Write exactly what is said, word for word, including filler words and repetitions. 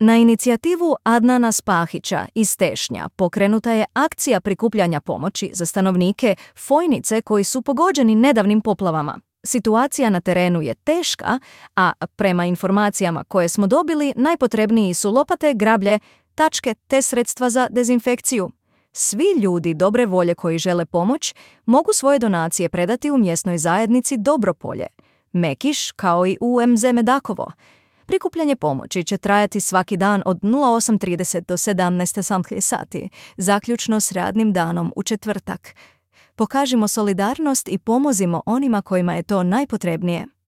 Na inicijativu Adnana Spahića iz Tešnja pokrenuta je akcija prikupljanja pomoći za stanovnike Fojnice koji su pogođeni nedavnim poplavama. Situacija na terenu je teška, a prema informacijama koje smo dobili najpotrebniji su lopate, grablje, tačke te sredstva za dezinfekciju. Svi ljudi dobre volje koji žele pomoć mogu svoje donacije predati u mjesnoj zajednici Dobropolje, Mekiš kao i U M Z Medakovo. Prikupljanje pomoći će trajati svaki dan od nula osam trideset do sedamnaest sati, zaključno s radnim danom u četvrtak. Pokažimo solidarnost i pomozimo onima kojima je to najpotrebnije.